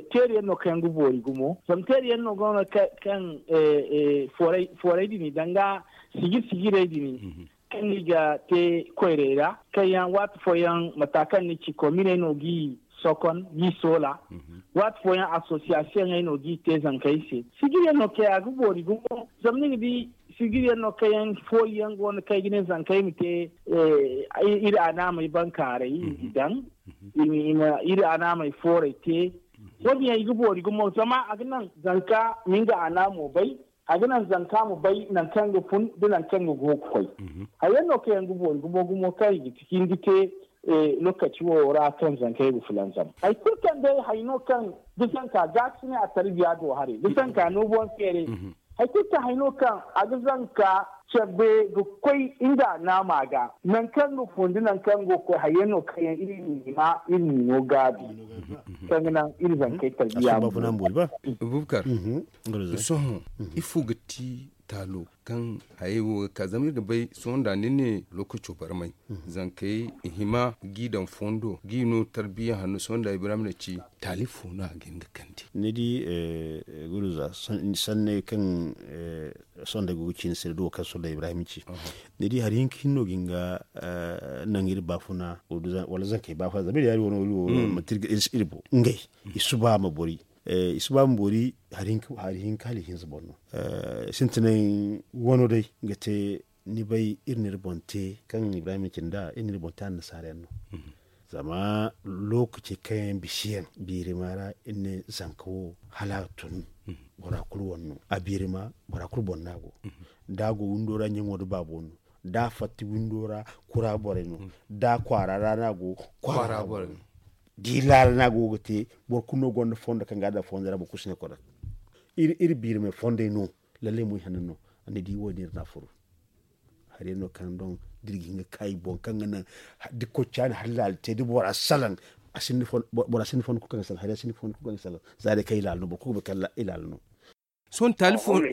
teeri yaŋ no kaŋ yaŋ ga boori gumo zama teeri yaŋ no go no kaŋ foorey din i daŋ ga sijiri sijirey din kaŋ i ga te koyrey ra kaŋ yaŋ waati fooyaŋ mata kaŋ ni ci kominey no g'i sokon g'i soola waati fooyaŋ asosiyasiyoŋey no g'i te zankey se sijiri yaŋ no kaŋ a ga boori gumo zama ni ga di sijiri yaŋ no kaŋ yaŋ fooyaŋ go no kaŋ ay ga ne zankey ma te iri anaamey bankaaray i daŋ iri anaamey fooray te wo- din yaŋ i ga boori gumo zama a ga naŋ zanka ma nga anaamo bay a ga naŋ zanka ma bay nangu kaŋ ga fun da nangu kaŋ ga go ga koy hari yaŋ no kaŋ yaŋ ga boori gumo gumo kaŋ i ga ciki ni ga te lokaci wo ra kaŋ zankey ga fulanzam hari kulu kaŋ day hari no kaŋ da zanka gaakasinay a tarbiya do haray da zanka no boŋ feeray hari kulu kaŋ hari no kaŋ a ga zanka cabe ga koy nga naama ga nangu kaŋ ga fun da nangu kaŋ ga koy hari yaŋ no kaŋ yaŋ iri ma iri ma no gaabi kaŋ ga naŋ iri zankey tarbiya ma boori. Bubakar, sohõ ifo ga ti taalo kaŋ hayey wo ga ka zama iri ga bay sohõ nda ni ne lokaco barmay zankey i hima g'i daŋ fondo g'i no tarbiya hanno sohõ nda ibrahim na ci taali fo no a ga hin ga kande? Ni di guruza sanney kaŋ sohõ nda ay go ga ci ni se da duwo kaŋ sohõ nda ibrahim ci ni di hari hinka hinno ga hin ga naŋ iri baafuna wala zankey baafuna zama iri yaari wano iri wo manti iri ga iri boŋ ngey i suba ma bori i si ba ma boori hari hinka hala i hinza boŋ no. Sintinay wano day ga te ni bay iri n'iri boŋ te kaŋ ibrahim cindi a iri n'iri boŋ te annasaara yaŋ no. Zama lokaci kaŋ yaŋ bisi yaŋ biirima ra iri ne zanka wo hala a tun bora kulu wane no a biirima bora kulu boŋ no a go. Da a go windo ra ɲaŋo nda baabo no da a fatta windo ra kura borey no da a kwaara ra no a go kwaara borey no. Di laala no a go ga te. Boro kulu no gonda fondo kaŋ ga a daŋ fondo ra boro kulu si ne kodak. Iri biiri me fondey no. Lallay mo i hanno no. A na di wo- din iri na a furu. Hari no kaŋ doŋ da iri ga hin ga kaayi boŋ kaŋ ga naŋ da koccaani hari laala te da bora salaŋ. Bora sinda fondo kulu kaŋ ga salaŋ hari sinda fondo kulu kaŋ ga salaŋ. Za day kaŋ i laala no boro kulu ga bay kaŋ i laala no. Sohõ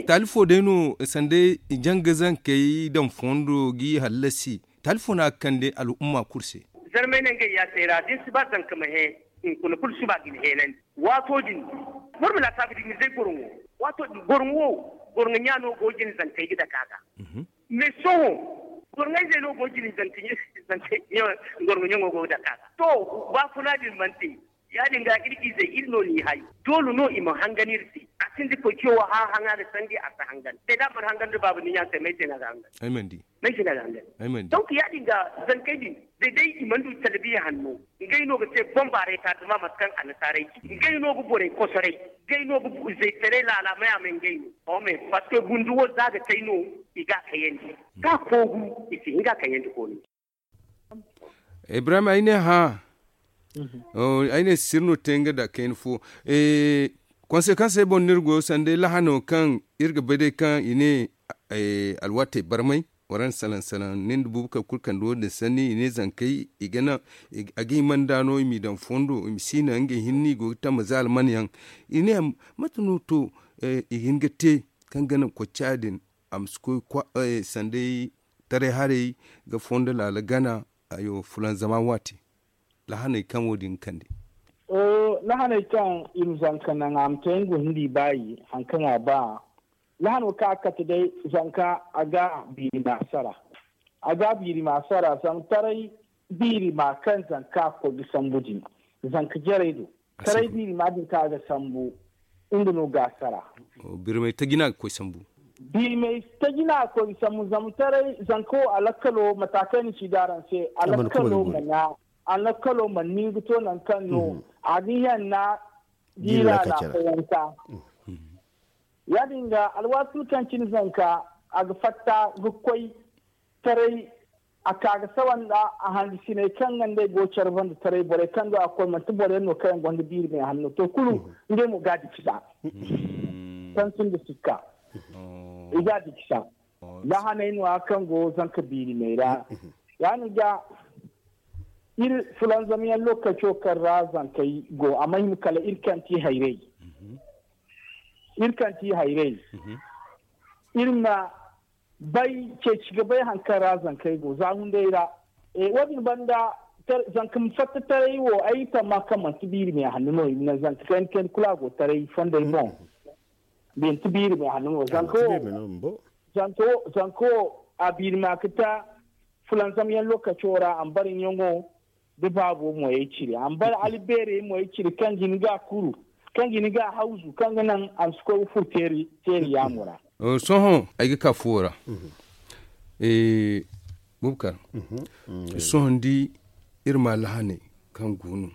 taali fo day no sanda janga zankey daŋ fondo g'i hallasi. Taali fo no a ga kande al'umma kulu se. Zarmay nangey yaasay ra da ni si ba zanka ma hẽ, hunkuna kulu suba ga ni heenandi. Waato din boro ma laasaabu da ni zay goroŋo. Waato din goroŋo wo goroŋo ɲa no go ga ni zankey ga dake a ga. Mais sohõ goroŋo izey no go ga ni zankey goroŋo ɲaŋo go ga dake a ga. To, baafuna din mana te. Ya- din ga iri izey iri no n'i hay. Doole no i ma hangan iri se. A sinda koy ciyo wo hã haŋa ga sandi a si hangan. Te da a mana hangan da baaba ni ɲa se may se no a ga hangan? Ay mana di. May se no a ga hangan? Ay mana di. Donc ya- din ga zankey din da day i mana du talbiya hanno, ngey no ga te bombaaray taatama mate kaŋ annasaarey ci. Ngey no ga borey kosoray. Ngey no ga izey taray laala may a may ngey no. Parce que gundu wo za ga kay no i ga a kayandi. Ka koogu i si hin ga a kayandi koonu. Ibrahim ay ne hã. Ay ne sir no te nga da kayna fo. Konsekansey boŋ no iri go sanda lahano kaŋ iri ga bay day kaŋ i ne alwaatey barmay. Waraŋ salaŋ salaŋ nin da buubu kala kulu kande wo- din sanni i ne zankey i ga naŋ a ga hima nda no i m'i daŋ fondo i ma si naŋ ngey hinne i go ga tamma za alman yaŋ. I ne mate no to i ga hin ga te kaŋ ga naŋ kocca din a ma si koy sanda taray haray ga fondo laala gana. Ayo fulanzama waati lahaney kaŋ wo- din ga kande. Lahaney kaŋ i ma zanka naŋ a ma te nga wo hindi baayi hari kaŋ a ba. Lahano kaŋ a kate day zanka a ga biiri ma sara. A ga biiri ma sara zama taray biiri ma kaŋ zanka ga koy ga sambu din zanka jarey do. Taray biiri ma din kaŋ a ga sambu nga no ga a sara. Birmay taji no a ga koy sambu. Birmay taji no a ga koy ga sambu zama taray zanka wo a lakkalo mata kaŋ ay na ci da araŋ se a lakkalo mana a lakkalo mana nin ga to nangu kaŋ no a ga yanna. Jiira na koyanta. Ya- din ga alwaati kulu kaŋ cine zanka a ga fatta ga koy taray a ka ga sawa nda a hangasiney kaŋ ga nd'ey go care banda taray borey kaŋ do a ga koy manti boro yaŋ no kaŋ yaŋ gonda biiri meehanno to kulu ngey mo ga a dikisa. Kaŋ sinda sikka i ga a dikisa. Lahaney no- ya kaŋ go zanka biiri meey ra. Ya- din ga iri fulanzamyaŋ lokaco kaŋ ra zankey go a ma hima kala iri kaŋ ti hayrey. Iri kaŋ ti hayrey iri ma bay ceeci ga bay hari kaŋ ra zankey go za hunday ra. Wo- din banda zanka ma fatta taray wo ay tamma kaŋ manti biiri meehanno no i ma naŋ zanka kayna kayna kulu a go taray fondey boŋ. Manti biiri meehanno no zanka wo zanka wo a biiri ma ga ta fulanzamyaŋ lokaco ra a ma bare ɲaŋo da baabo moyey cire a ma bare albeerey moyey cire kaŋ ga hin ga a kuru kaŋ ga hin ga a hawzu kaŋ ga naŋ a ma si koy ga furo teeri yaamo ra. Sohõ ay ga ka fuwo ra. Bubakar, sohõ ni di iri ma lahaney kaŋ go no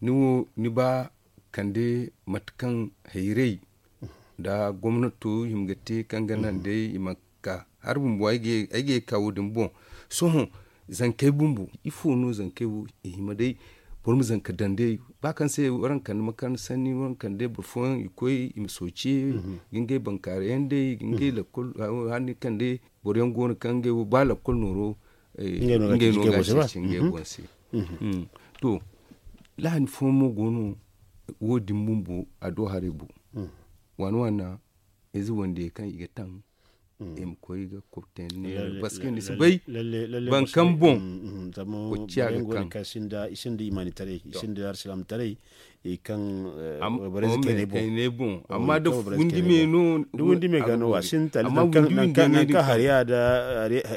ni wo ni ba kande mate kaŋ hayrey nda gomnato hima ga te kaŋ ga naŋ day i ma ka hari bumbo ay ga ye ga ka wo- din boŋ. Sohõ zankey bumbo ifo no zankey wo i hima day boro ma zanka daŋ day ba kaŋ se waraŋ kande makaranta sanni waraŋ kande boro fooyaŋ i koy i ma sooce ga ngey bankaaray yaŋ day ga ngey lakkol hanni kande boro yaŋ go no kaŋ ngey wo ba lakkol nooro ngey no ga a ceeci ngey boŋ se. To lahani fooyaŋ mo go no wo- din bumbo a do haray bo waana waana ize wandiyey kaŋ i ga taŋ i ma koy ga kobte neera parce que ni si bay baŋ kaŋ boŋ kocciya ga kaŋ i sinda imanitaray i sinda alsilaamataray i kaŋ wayborey kayney boŋ amma da fundi me no da wundi me ga no a sinda taali amma wundi me no kaŋ hariya da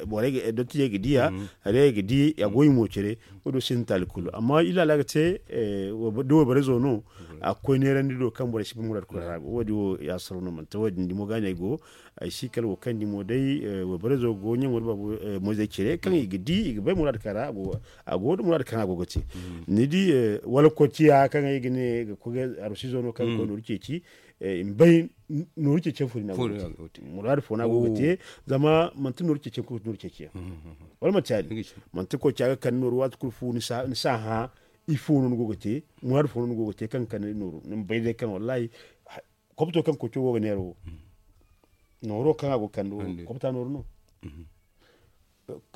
borey ga dottijey ga diya hariya ga di a goy mo cere wo- do sinda taali kulu amma illa la ga te da wayborey zo no a ga koy neerandi do kaŋ borey si ba muraad kulu ra wo- din wo ya saro no manti wo- din dimo ga ne ay go ay si kala wo kaŋ dimo day wayborey zo go ɲaŋo da baabu moyzey cire kaŋ i ga di i ga bay muraad kaŋ ra a go da muraad kaŋ a go ga te ni di wala kocciya kaŋ ay ga ne ga koy ga arusizo no kaŋ ga koy nooru ceeci i ma bay nooru ceeci yaŋ fo din a go ga te muraad fo no a go ga te zama manti nooru ceeci yaŋ kulu ga ti nooru ceeci yaŋ wala manti ya- din manti kocciya ga kande nooru waati kulu fu ni si a hã Ifo no ni go ga te, muraadu fo no ni go ga te kaŋ ga kande nooru ni ma bay day kaŋ wallahi, kopto kaŋ koco go ga neera wo, nooro kaŋ a go ga kande wo, kopta nooru no.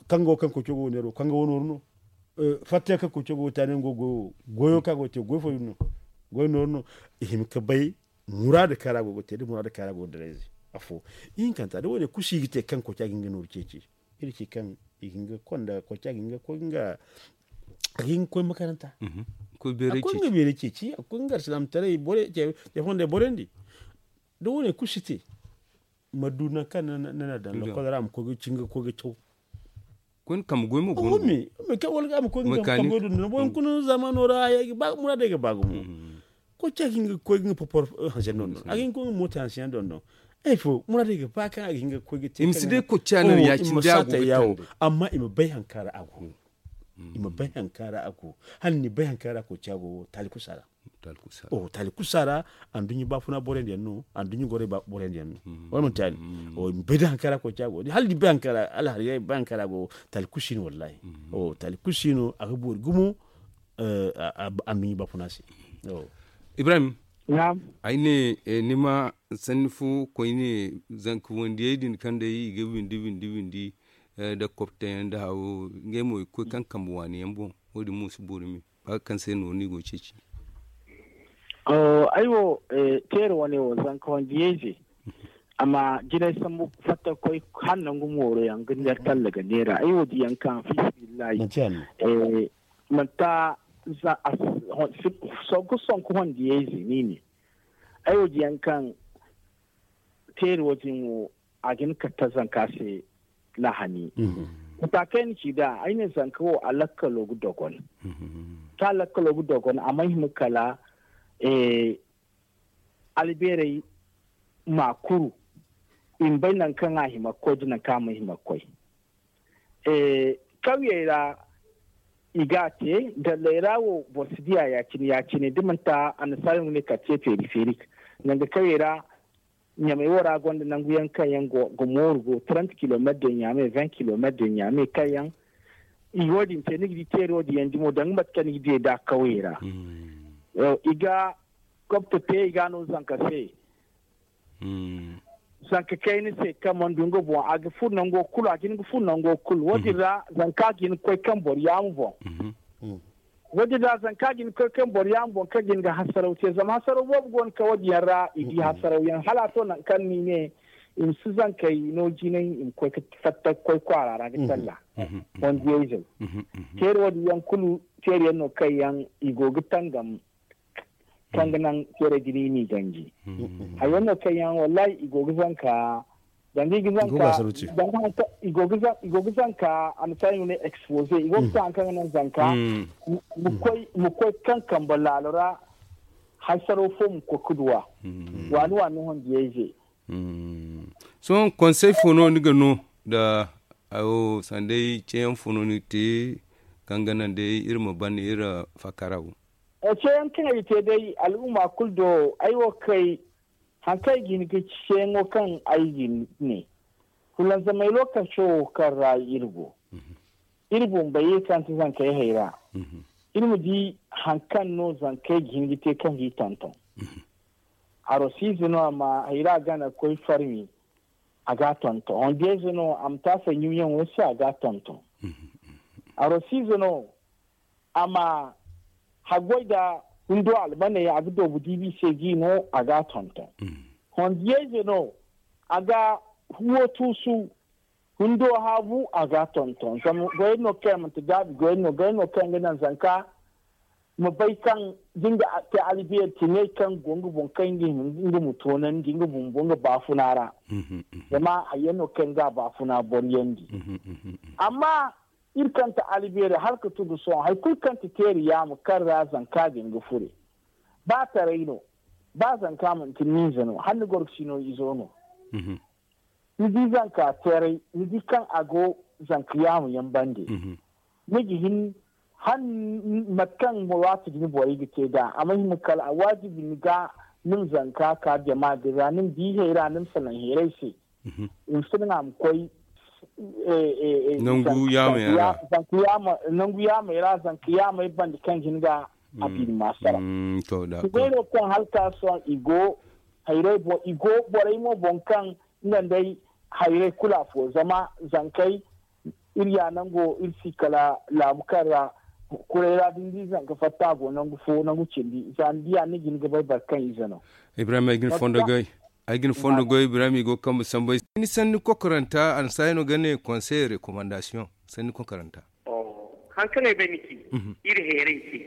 Kaŋ go kaŋ koco go ga neera wo kaŋ ga wo nooru no. Fatta kaŋ koco go ga te a ne nga go goyo wo, goyo kaŋ a go ga te goyo fo din no. Goyo nooru no. I hima ga bay muraadu kaŋ ra a go ga te da muraadu kaŋ ra a go ga daray ze. Afo ihinkanta da wo- ne kulu si ga te kaŋ koca ga hin ga nooru ceeci. Iri ci kaŋ i ga hin ga konda koca ga hin ga koy nga a ga hin ga koy makaranta. A koy nga beeray ceeci a koy nga alsilaamataray bore ce fonday borandi. Da wo- ne kulu si te ma du nangu kaŋ ni na daŋ lokol ra ma koy ga ci nga koy ga caw. Koy ni kambe goy mo go no. Kaŋ wala ga ma koy ga kambe goy dondon boŋ kuna zamano ra muraadey ga ba gumo. Koy ca ga hin ga koy ga nga popor hanse dondon a ga hin ga koy nga moota hanse yaŋ dondon. Ay fo muraadey ga ba kaŋ a ga hin ga koy ga te i ma si day koy ca no ya- cindi a go ga tanda. Amma i ma bay hari kaŋ ra a go. I ma bay hari kaŋ ra a go. Hala ni bay hari kaŋ ra koy ca go taali kusa ra. Taali kusa ra anduɲɲa baafuna borandi yaŋ no. Anduɲɲa goray borandi yaŋ no. Wala manti yaadin? I ma bay da hari kaŋ ra koy ca go hala ni bay hari kaŋ ra alhariya i ma bay hari kaŋ ra go. Taali kusi no wallahi. Taali kusi no a ga boori gumo. Anduɲɲa baafuna se. Ibrahim, ay ne ni ma sanni fo koyne zanka wandiyey din kaŋ day i ga windi windi windi nda koptayaŋ nda hawo ngey mo i ga koy kaŋ kambe waani yaŋ boŋ. Wo- din mo si boori me ba ga kaŋ se no ni go ga ceeci. Ay wo teeri wane wo zanka wandiyey ze a ma jinay sambu fatta ga koy hala nangu mooro yaŋ ga neera talla ga neera ay wo diyaŋ kaŋ fiisabilillahi. Manti a sonku sonku hondiyey ze ni ne. Ay wo diyaŋ kaŋ teeri wo- din wo a ga hin ga katta zanka se lahani. Mata kaŋ ay na ci nd'a ay ne zanka wo a lakkalo ga dogon. Kaŋ a lakkalo ga dogon a mana hima kala albeerey ma kuru i ma bay nangu kaŋ a hima ga koy nda nangu kaŋ a mana hima ga koy. Kawyey ra i ga a te dalley ra wo boro si diya ya- cine ya- cine da manti annasaara no ga ne quartier périphérique. Nangu kawyey ra ɲamey wo ra gonda nangu yaŋ kaŋ yaŋ ga mooru go trente kilometre de ɲaame vingt kilometre de ɲaame kaŋ yaŋ i wo- din te ni ga di teeri wo- din yaŋ dimo danga mate kaŋ ni ga di nd'a kawyey ra. I ga kopta te i ga a no zanka se. Zanka kayna se kaŋ mana du nga boŋ a ga furo nango kulu a ga hin ga furo nango kulu wo- din ra zanka ga hin ga koy kaŋ boro yaama boŋ. Wo- din ra zanka ga hin ga koy kaŋ boro yaama boŋ kaŋ ga hin ga hasaraw te zama hasaraw boobo go no kaŋ wo- din yaŋ ra i di hasaraw yaŋ hala a to nangu kaŋ no i ne i ma si zankey no jinay i ma koy ga fatta ga koy kwaara ra ga talla. Wandiyayzey teeri wo- din yaŋ kulu teeri yaŋ no kaŋ yaŋ i go ga tangam kaŋ ga naŋ teerey din i n'i ganji. Hayyaŋ no kaŋ yaŋ wallahi i go ga zanka danga i ga zanka danga hanka i go ga zanka a ma taŋ i ma ne exposé i go ga te haŋ kaŋ ga naŋ zanka ma koy kaŋ kambe laalo ra. Haysaro fo ma koy ga duw'a waani waani no hondiyayze. Sohõ konsey fo no ni ga no nda awo sanday ceeyaŋ fo no ni ga te kaŋ ga naŋ day iri ma ban iri fakara wo. Ceeyaŋ kaŋ ay ga te day al'umma kulu do ay wo ga kay haŋ kaŋ ay ga hin ga ci ceeyaŋo kaŋ ay ga ne fulanzamey lookaco wo kaŋ ra iri go iri bumbey iri kaŋ ti zankey hayra iri ma di haŋ kaŋ no zankey ga hin ga te kaŋ ga i tonton. Arosiize no a ma hayra gana ga koy farmi a ga a tonton hondiyayze no a ma taasay ɲumyaŋo se a ga a tonton. Arosiize no a ma haggoy nda hundo almaney a ga doobu diibi se ga i no a ga a tonton. Hondiyayze no a ga huwo tuusu hundo haabu a ga a tonton zama goyey no kaŋ yaŋ manti gaabi goyey no goyey no kaŋ yaŋ ga naŋ zanka ma bay kaŋ da nga te albeeri tiney kaŋ go nga boŋ kaŋ nga hima nga ma toonandi nga bumbo nga baafuna ra. Zama hayyaŋ no kaŋ yaŋ ga a baafuna boryandi. Amma iri kaŋ ti albeeri hala ka tugu sohõ hari kulu kaŋ ti teeri yaama kaŋ ra zanka ga hin ga fure ba taray no ba zanka manti niize no hala ni goro ga si no izo no. Ni di zanka teeray ni di kaŋ a go zanka yaamu yaŋ bande ni ga hin han mate kaŋ waati din borey ga te nd'a a ma hima kala a waajibi ni ga ni ma zanka ka jama din ra ni ma di hayra ni ma salaŋ hayray se. I ma si naŋ a ma koy Nangu yaamey ra. Nangu yaamey ra zanka yaamey banda kaŋ ga hin ga a biiri maasara. Zugayro kaŋ halka sohõ i go hayray boŋ i go borey mo boŋ kaŋ nga nda ay hayray kulu afo zama zankey iri ya nango iri si kala laabu kaŋ ra kuray ra da ni di zanka fatta a go nangu fo nangu cindi za ni diya ni ga hin ga bay boro kaŋ ize no. Ibrahim ay ga ni fondo goy. Ay ga ni fondo goy ibrahim i go ga kambe sambay ni sanni kokoranta a na saahi no ga ne konsey rekomandasiyoŋ. Sanni kokoranta. Hari kaŋ ay bay ni ci iri heeray se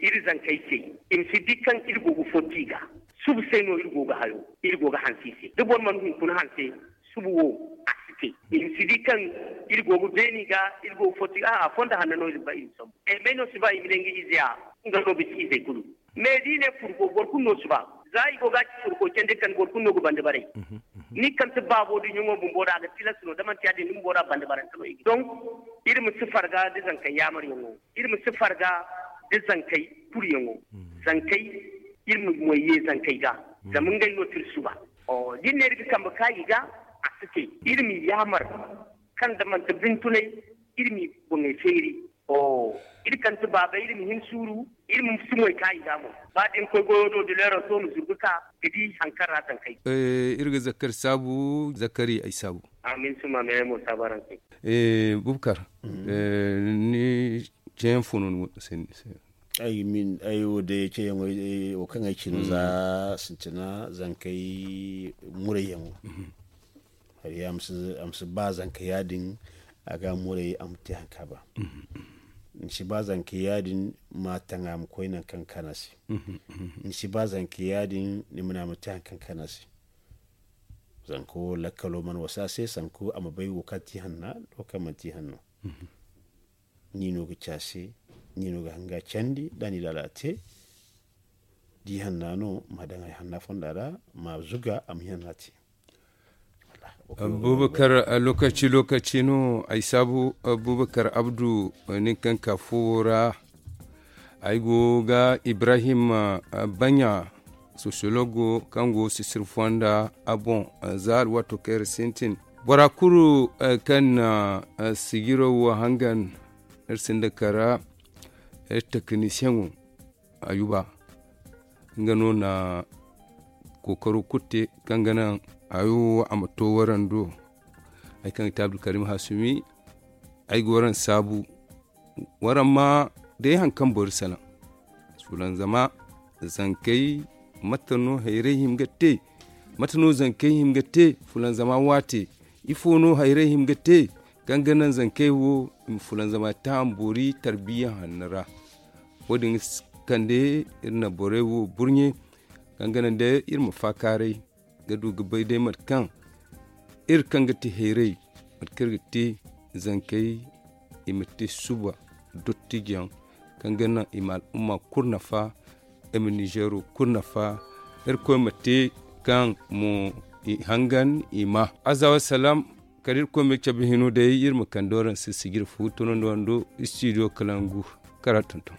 iri zankey se i ma si di kaŋ iri go ga fotti ga suba se no iri go ga hayo iri go ga hanse i se da boro mana hunkuna hanse suba wo a si te i ma si di kaŋ iri go ga beeni ga iri go ga fotti ga a fondo hanno no iri ba iri ma sambu ay may no si ba i ma ne nga ize a nga no ga ci izey kulu. Me da i ne furgo boro kulu no si ba za i go ga a ci furgo candi kaŋ boro kulu no ga bande baray. Ni kaŋ ti baabo da ɲaŋo bumbo ra a ga tilas no da manti ya- din ni bumbo ra bande barante no i ga donk iri ma si farga da zankey yaamaryaŋo iri ma si farga da zankey kuruyaŋo zankey iri ma moy ye zankey ga zama ngey no ti iri suba. Da iri ne iri ga kambe ka i ga a si te iri ma yaamar kaŋ da manti bintunay iri ma i boŋey feeri. Iri kaŋ ti baabey iri ma hin suuru iri ma si moy ka i ga mo ba da ni koy goyo do da leero to ma zurgu ka ga di hari kaŋ ra tankay. Iri ga zakkari saabu zakkari ay saabu. Amin suma me ay mo saabu araŋ se. Bubakar ni ceeyaŋ fo no ni go ga sanni se? Ay wo day ceeyaŋo wo kaŋ ay ci no za sintina zankey murayyaŋo. Hari a ma si ba zanka ya- din a ga a muray a ma te hari kaŋ a ba. Ni si ba zanka ya- din ma taŋ a ma koy nangu kaŋ ga kaan a se. Ni si ba zanka ya- din ni ma ne a ma te hari kaŋ ga kaan a se. Zanka wo lakkalo mana wasa a se sanku a ma bay wo kaŋ ti hanna da wo kaŋ mana ti hanno. Ni no ga ci a se ni no ga hanga candi da ni laala te. Di hanna no ma daŋ ay hanna fonda ra ma zuga a ma hanna te. Abubakar lokaci lokaci no ay saabu abubakar abdu nin kaŋ ka fuwo ra. Ay go ga ibrahim banya sosiyologo kaŋ go sisir fonda a boŋ. Za alwaato kaŋ iri sintin bora kulu kaŋ na sijiro wo hangan iri sinda kara iri tekinisiyeŋo ayuba nga no na kookaro kulu te kaŋ ga naŋ hayo wo a ma to waraŋ do. Hari kaŋ ga te abdulkarim hasumi ay ga waraŋ saabu waraŋ ma day hari kaŋ boro salaŋ fulanzama zankey mate no hayray hima ga te? Mate no zankey hima ga te fulanzama waate? Ifo no hayray hima ga te kaŋ ga naŋ zankey wo i ma fulanzama taam boori tarbiya hanno ra? Wo- din ga kande iri na borey wo burɲe kaŋ ga naŋ day iri ma faakaaray ga du ga bay day mate kaŋ iri kaŋ ga te hayray mate kaŋ iri ga te zankey i ma te suba dottijaŋ kaŋ ga naŋ i ma al'umma kulu nafa. I ma nizeero kulu nafa irkoy ma te kaŋ mo i hangan i ma aza wasalaam. Kala irkoy ma cabe hino day iri ma kande waraŋ se sijir fu tunandi wando istidiyo kalangu kala tonton.